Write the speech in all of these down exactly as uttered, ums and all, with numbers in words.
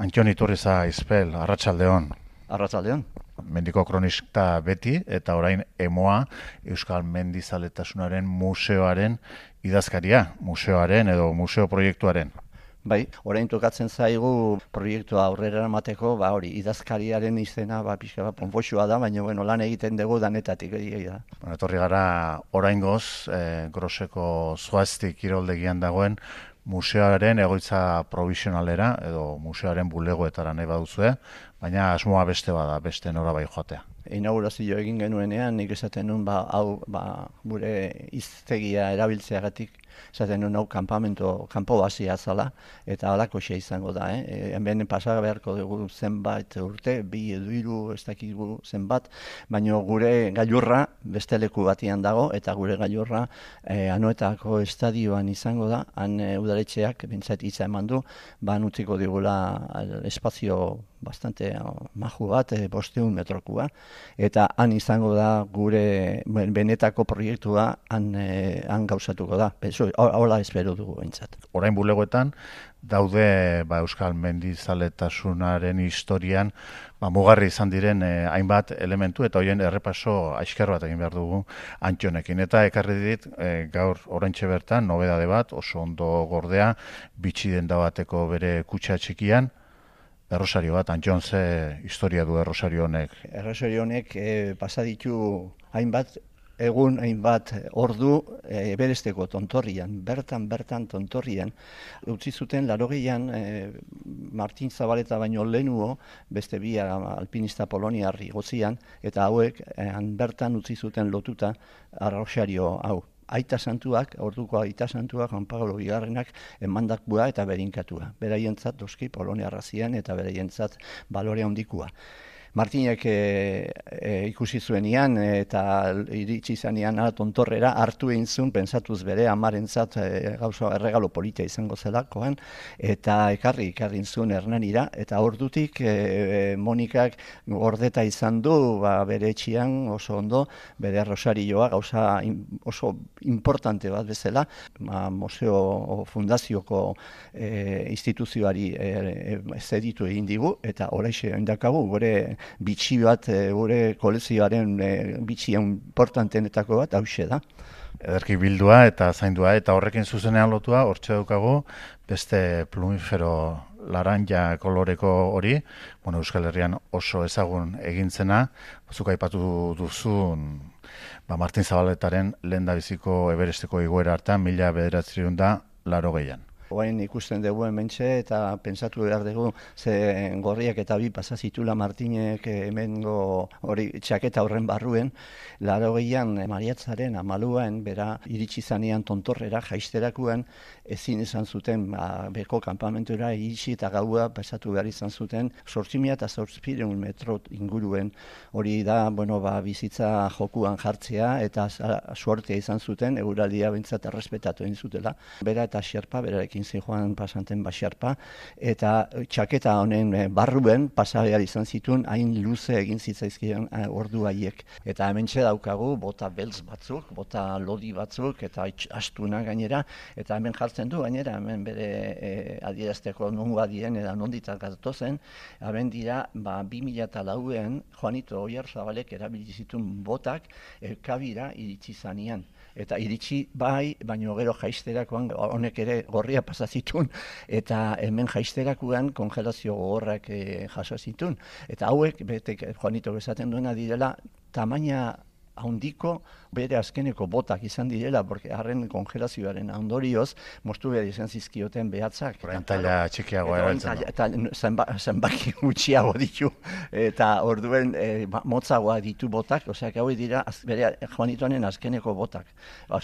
Antxon Iturriza Izpel, Arratsaldeon. Arratsaldeon. Mendiko kronista beti eta orain Emoa Euskal Mendizaletasunaren museoaren idazkaria, museoaren edo museo proiektuaren. Bai, orain tokatzen zaigu proiektua aurrera eramateko, ba hori, idazkariaren izena ba pixka bat ponpoxua da, baina bueno, lan egiten dugu danetatik egia da. Bueno, etorri gara oraingoz, eh, Groseko Zoazti kiroldegian dagoen museoaren egoitza provisionalera edo museoaren bulegoetara nahi baduzue, baina asmoa beste bada, beste norabai joatea. Inaugurazio egin genuenean, nik esaten nuen, ba, hau, ba, gure hiztegia erabiltzeagatik, esaten nuen hau kanpamento, kanpo basia zala, eta halako xe izango da, eh? E, hemen pasa beharko dugu zenbait urte, bi edo hiru, ez dakigu zenbat, baina gure gailurra beste leku batian dago, eta gure gailurra eh, Anoetako estadioan izango da, han e, udaletxeak, bintzat hitza eman du, ban utziko digula espazio bastante maju bat, e, bosteun metrokua, eta han izango da gure benetako proiektua han, e, han gauzatuko da. Eso, hola espero dugu behintzat. Orain bulegoetan daude ba, Euskal Mendizaletasunaren historian ba, mugarri izan diren eh, hainbat elementu eta horien errepaso aixkar bat egin behar dugu Antxonekin. Eta ekarri dit eh, gaur oraintxe bertan nobedade bat, oso ondo gordea, bitxi denda bateko bere kutxa txikian, errosario bat. Antxon, ze historia du errosario honek? Errosario honek e, pasa ditu hainbat egun, hainbat ordu e, beresteko tontorrian, bertan, bertan tontorrian. Utzi zuten larogeian e, Martin Zabaleta baino lehenuo, beste bi alpinista poloniar igotzian, eta hauek e, han bertan utzi zuten lotuta errosario hau. Aita santuak, orduko aita santuak, Juan Pablo Bigarrenak emandakua eta berinkatua. Beraientzat doski Polonia zian eta beraientzat balore handikua. Martinek e, e, ikusi zuenian eta iritsi zanean tontorrera hartu egin zuen, pentsatuz bere amarentzat e, gauza erregalo politia izango zelakoan, eta ekarri, ekarri zuen Hernanira, eta ordutik e, e, Monikak gordeta izan du ba, bere etxian oso ondo, bere rosarioa gauza in, oso importante bat bezala, ba, museo o fundazioko e, instituzioari e, e, zeditu egin digu, eta horreixe indakagu, gure bitxi bat, e, gure kolezioaren e, bitxi importantenetako bat, hause da. Ederki bildua eta zaindua, eta horrekin zuzenean lotua, hortxe daukagu, beste plumifero laranja koloreko hori, bueno, Euskal Herrian oso ezagun egintzena, zuk aipatu duzun, ba, Martin Zabaletaren lehendabiziko Everesteko igoera hartan, mila bederatziehun eta laurogeian. Oain ikusten dugu hementxe eta pentsatu behar dugu ze gorriak eta bi pasazitula Martinek hemengo hori txaketa horren barruen, laurogeian Mariatzaren amaluan bera iritsi zanean tontorrera jaisterakuan ezin izan zuten ba, beko kanpamentura iritsi eta gaua pasatu behar izan zuten zortzi mila eta zortziehun metro inguruen, hori da bueno, ba, bizitza jokuan jartzea eta suertea izan zuten, eguraldia behintzat errespetatu egin zutela. Bera eta Xerpa, berarekin joan pasanten Baxarpa, eta txaketa honen barruen pasa behar izan zituen hain luze egin zitzaizkion ordu haiek. Eta hementxe daukagu bota beltz batzuk, bota lodi batzuk, eta astuna gainera, eta hemen jartzen du gainera, hemen bere e, adierazteko nongoa dien, eta nonditak gatozen, hemen dira, ba, bi mila eta lauean, Juanito Oyarzabalek erabili zituen botak, elkabira iritsi zanean. Eta iritsi bai, baino gero jaisterakoan honek ere gorria pasa zituen, eta hemen jaisterakoan kongelazio gogorrak e, jaso zituen. Eta hauek, betek Juanito bezaten duena direla, tamaina handiko bere azkeneko botak izan direla, porque harren kongelazioaren ondorioz, moztu behar izan zizkioten behatzak. Orain taila txikiagoa erabiltzen du. Eta zenba, zenbaki gutxiago ditu, eta orduen e, motzagoa ditu botak, oseak hau dira az, bere Juanitonen azkeneko botak.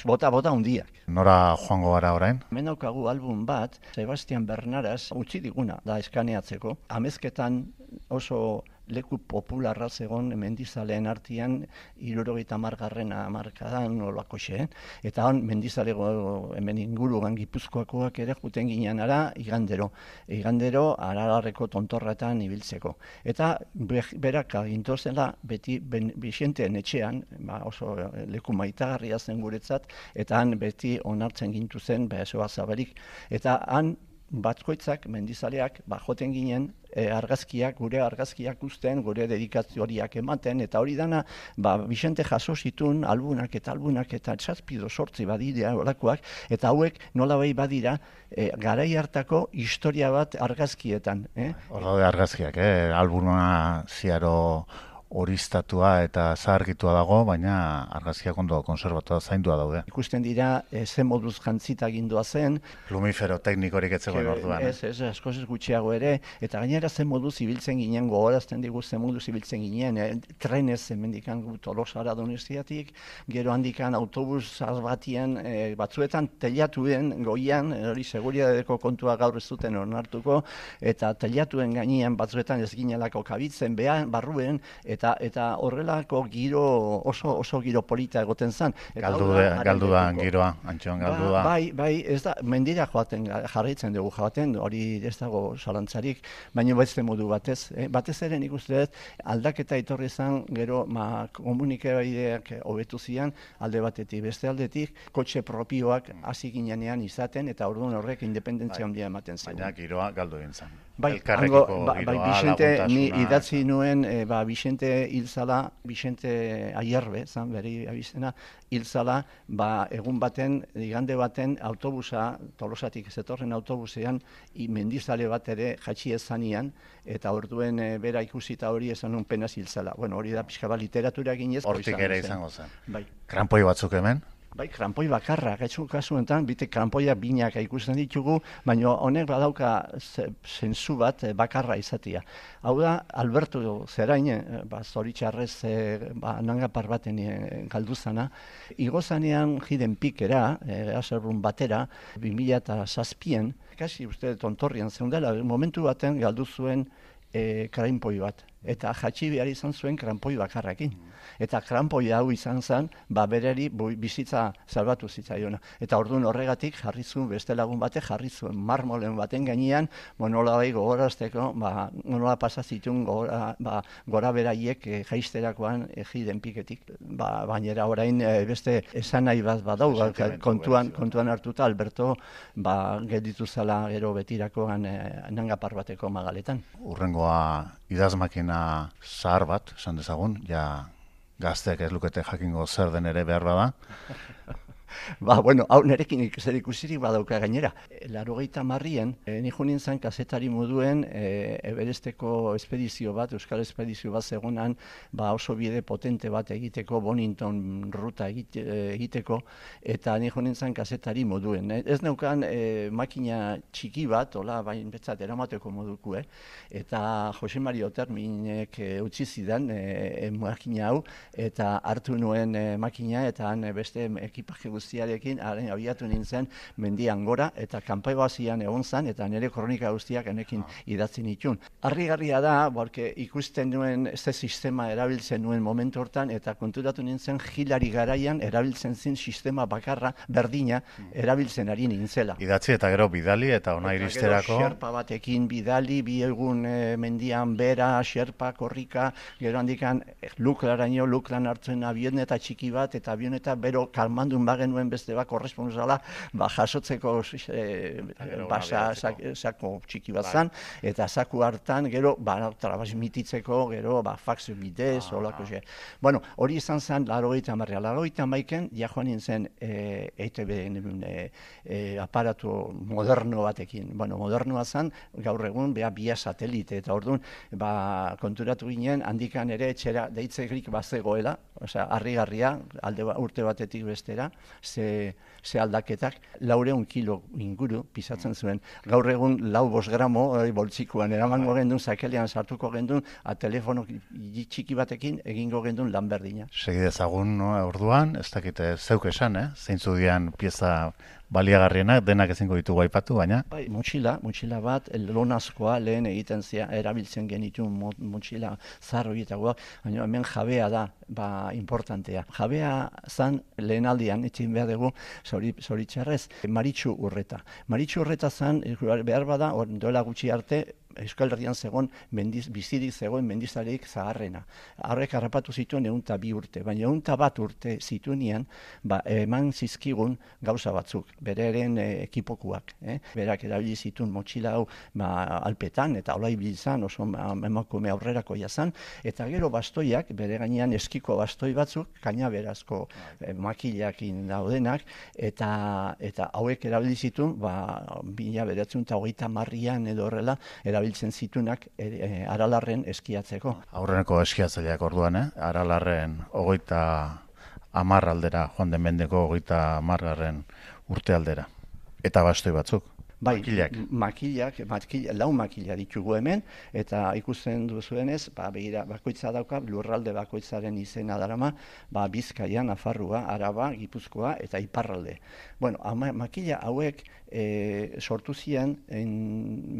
Bota, bota hundiak. Nora joango gara orain? Hemen daukagu album bat, Sebastian Bernaras utzi diguna da eskaneatzeko. Amezketan oso leku popularra zegon mendizaleen artean hirurogeita hamargarren hamarkadan olakoxe, eta han mendizalego hemen inguruan Gipuzkoakoak ere juten ginean ara igandero. Igandero Aralarreko tontorretan ibiltzeko. Eta berak agintozela beti Bixenteen etxean, ba, oso leku maitagarria zen guretzat, eta han beti onartzen gintu zen besoa zaberik. Eta han batkoitzak, mendizaleak, ba, joten ginen e, argazkiak, gure argazkiak uzten, gure dedikazioriak ematen, eta hori dana, ba, Vicente jaso zitun albunak eta albunak eta txazpido sortzi badira olakoak, eta hauek nolabait badira e, garai hartako historia bat argazkietan. Eh? Hor daude argazkiak, eh? Albuma ziaro horistatua eta zaharkitua dago, baina argazkiak ondo konserbatua zaindua daude. Ikusten dira, e, ze moduz jantzita gindua zen. Plumifero teknikorik etzegoen orduan. Ez, ez, askoz ez gutxiago ere, eta gainera ze moduz ibiltzen ginen, gogorazten digu ze moduz ibiltzen ginen, e, trenez hemendikan Tolosara Donostiatik, gero handikan autobus batien, e, batzuetan teilatuen goian, hori seguriadeko kontua gaur ez duten onartuko, eta teilatuen gainean batzuetan ez ginelako kabitzen, behan, barruen, eta eta horrelako giro oso oso giro polita egoten zen. Galdu da, galdu da giroa, Antxon, galdu da. Ba, bai, bai, ez da, mendira joaten, jarraitzen dugu joaten, hori ez dago zalantzarik, baina beste modu batez. Eh? Batez ere nik uste dut, aldaketa etorri zen, gero ma, komunikabaideak hobetu zian, alde batetik, beste aldetik, kotxe propioak hasi ginenean izaten, eta orduan horrek independentzia handia ematen zen. Baina giroa galdu egin zen. Bai, hango, ba, bai, Vicente, ni idatzi nuen, e, ba, Vicente hilzala, Vicente Aierbe, zan, beri abizena, hilzala, ba, egun baten, igande baten, autobusa, Tolosatik zetorren autobusean, mendizale bat ere jatxi ezanian, eta orduen e, bera ikusita hori esan nun penaz hilzala. Bueno, hori da pixka bat literatura ginez. Hortik ere izango zen. Bai. Krampoi batzuk hemen? Bai, krampoi bakarra, gaitzu kasuetan, bite krampoia binak ikusten ditugu, baina honek badauka zentzu bat bakarra izatia. Hau da, Alberto Zerain, ba, zoritxarrez ba, nangapar baten galduzana, igozanean jiden pikera, e, azerbun batera, bi mila zazpien, kasi uste tontorrian zeundela, momentu baten galdu zuen e, krampoi bat. Eta jatxi behar izan zuen krampoi bakarrakin. Eta krampoi hau izan zen, ba bereri bizitza salbatu zitzaiona. Eta orduan horregatik jarri zuen, beste lagun batek jarri zuen marmolen baten gainean, nola bai gogorazteko, ba, nola pasazitun gora, ba, gora beraiek e, jaisterakoan ejiden piketik. Ba, bainera orain e, beste esan nahi bat badau, kontuan, kontuan hartuta Alberto ba, gelditu zala gero betirakoan e, nangapar bateko magaletan. Urrengoa idazmakina zahar bat, esan dezagun, ja gazteak ez lukete jakingo zer den ere behar bada. Ba, bueno, hau nerekin zer ikusirik badauka gainera. Laurogeita hamarrean, e, ni jo nintzen kazetari moduen e, Everesteko espedizio bat, Euskal espedizio bat zegonan, ba oso bide potente bat egiteko, Bonington ruta egite, egiteko, eta ni jo nintzen kazetari moduen. Ez neukan e, makina txiki bat, hola, bain betzat eramateko moduko, eh? Eta Jose Mari Oterminek e, utzi zidan e, makina hau, eta hartu nuen e, makina, eta han e, beste ekipaje guztiarekin haren abiatu nintzen mendian gora, eta kanpai bazian egon zen, eta nire kronika guztiak enekin idatzi nitun. Harrigarria da, borke ikusten nuen ze sistema erabiltzen nuen momentu hortan, eta konturatu nintzen Hilari garaian erabiltzen zin sistema bakarra, berdina, erabiltzen ari nintzela. Idatzi eta gero bidali eta ona iristerako. Gero xerpa batekin bidali, bi egun e, mendian bera, xerpa, korrika, gero handikan luklaraino, luklan hartzen avioneta txiki bat, eta avioneta bero kalmandun bagen nuen beste bat korresponsala, ba, jasotzeko e, basa sako txiki bat zan, eta saku hartan, gero, ba, transmititzeko, gero, ba, fax bidez, ah, olako xe. Bueno, hori izan zen, laurogeita hamarrean. Laurogeita hamaiken, ja joan nintzen e, E T B e, e, aparatu moderno batekin. Bueno, modernoa zen, gaur egun, beha, bia satelite, eta orduan, ba, konturatu ginen, handikan ere, etxera, deitzekrik bazegoela, osea, harrigarria, alde urte batetik bestera, ze, ze aldaketak, laureun kilo inguru pisatzen zuen. Gaur egun lau bost gramo e, boltsikoan eramango gendun, zakelean sartuko gendun, a telefono txiki batekin egingo gendun lan berdina. Segi dezagun, no, orduan, ez dakite zeuk esan, eh? Zeintzu dian pieza baliagarrienak, denak ezingo ditugu aipatu, baina? Bai, motxila, motxila bat, lonazkoa lehen egiten zia, erabiltzen genitu motxila zar horietakoa, baina hemen jabea da, ba, importantea. Jabea zan lehen aldian, etxin behar dugu, zoritxarrez, Maritxu Urreta. Maritxu Urreta zan, behar bada, duela gutxi arte, Euskal Herrian zegoen mendiz, bizirik zegoen mendizarik zaharrena. Horrek harrapatu zituen ehunta bi urte, baina ehunta bat urte zituenean, ba, eman zizkigun gauza batzuk, bereren e, ekipokuak. Eh? Berak erabili zituen motxila hau ba, alpetan, eta hola ibilizan, oso emakume aurrerako jazan, eta gero bastoiak, bere gainean eskiko bastoi batzuk, kainaberazko e, makilakin daudenak, eta, eta hauek erabili zituen, ba, bila beratzen eta hogeita marrian edo horrela, erabiltzen zitunak e, e, Aralarren eskiatzeko. Aurreneko eskiatzaileak orduan, eh? Aralarren hogeita hamar aldera, joan den mendeko hogeita hamargarren urte aldera. Eta bastoi batzuk. Bai, makilak. makilak, makila, lau makila ditugu hemen, eta ikusten duzuenez, ba, begira, bakoitza dauka, lurralde bakoitzaren izena darama, ba, Bizkaia, Nafarroa, Araba, Gipuzkoa eta Iparralde. Bueno, ama, makila hauek e, sortu ziren, en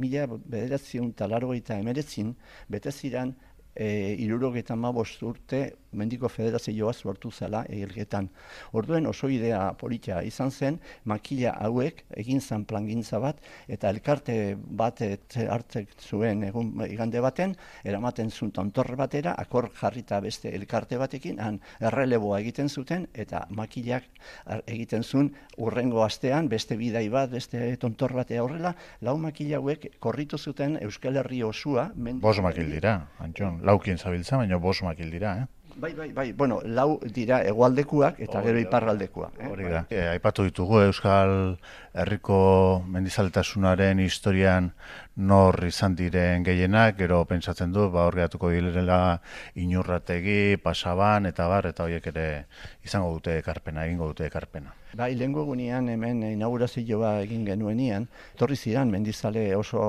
mila bederatziehun eta laurogeita hemeretzin, bete ziren, e, hirurogeita hamabost urte Mendiko Federazioa sortu zela Elgetan. Orduen oso idea politia izan zen, makila hauek egin zen plangintza bat, eta elkarte bat hartzek zuen egun igande baten, eramaten zuen tontorre batera, akor jarrita beste elkarte batekin, han erreleboa egiten zuten, eta makilak egiten zuen urrengo astean, beste bidai bat, beste tontor batea horrela, lau makila hauek korritu zuten Euskal Herri osua. Bos makil dira, Antxon, laukin zabiltza, baina bos makil dira, eh? Bai, bai, bai, bueno, lau dira hegoaldekuak eta gero iparraldekoak. Eh? Hori da. E, aipatu ditugu Euskal Herriko mendizaletasunaren historian nor izan diren gehienak, gero pentsatzen du, ba, hor geratuko direla Inurrategi, Pasaban, eta bar, eta horiek ere izango dute ekarpena, egingo dute ekarpena. Bai, lehengo egunean hemen inaugurazioa egin genuenian, torri ziren mendizale oso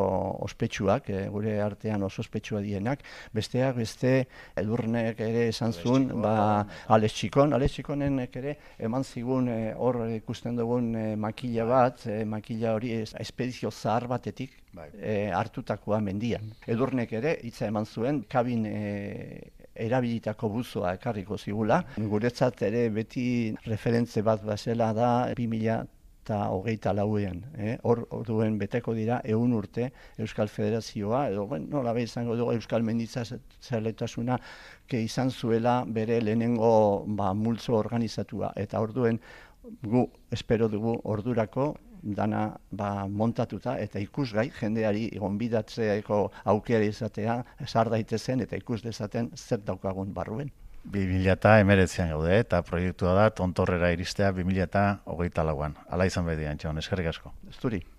ospetsuak, e, gure artean oso ospetsua dienak, besteak beste Edurnek ere esan zuen, ba, Alex Txikon, Alex Txikonenek ere eman zigun e, hor ikusten dugun e, makila bat, e, makila hori espedizio zahar batetik e, hartutakoa mendian. Edurnek ere hitza eman zuen, kabin e, erabilitako buzoa ekarriko zigula. Guretzat ere beti referentze bat bazela da bi mila eta hogeita lauean. Eh? Hor duen beteko dira ehun urte Euskal Federazioa, edo bueno, nola be izango dugu Euskal Mendizaletasuna ke izan zuela bere lehenengo ba, multzo organizatua. Eta orduen gu espero dugu ordurako dana ba, montatuta eta ikusgai jendeari gonbidatzeeko aukera izatea sar daitezen eta ikus dezaten zer daukagun barruen. bi mila hemeretzian gaude eta proiektua da tontorrera iristea bi mila hogeita lauan. Hala izan bedi, Antxon, eskerrik asko. Zuri.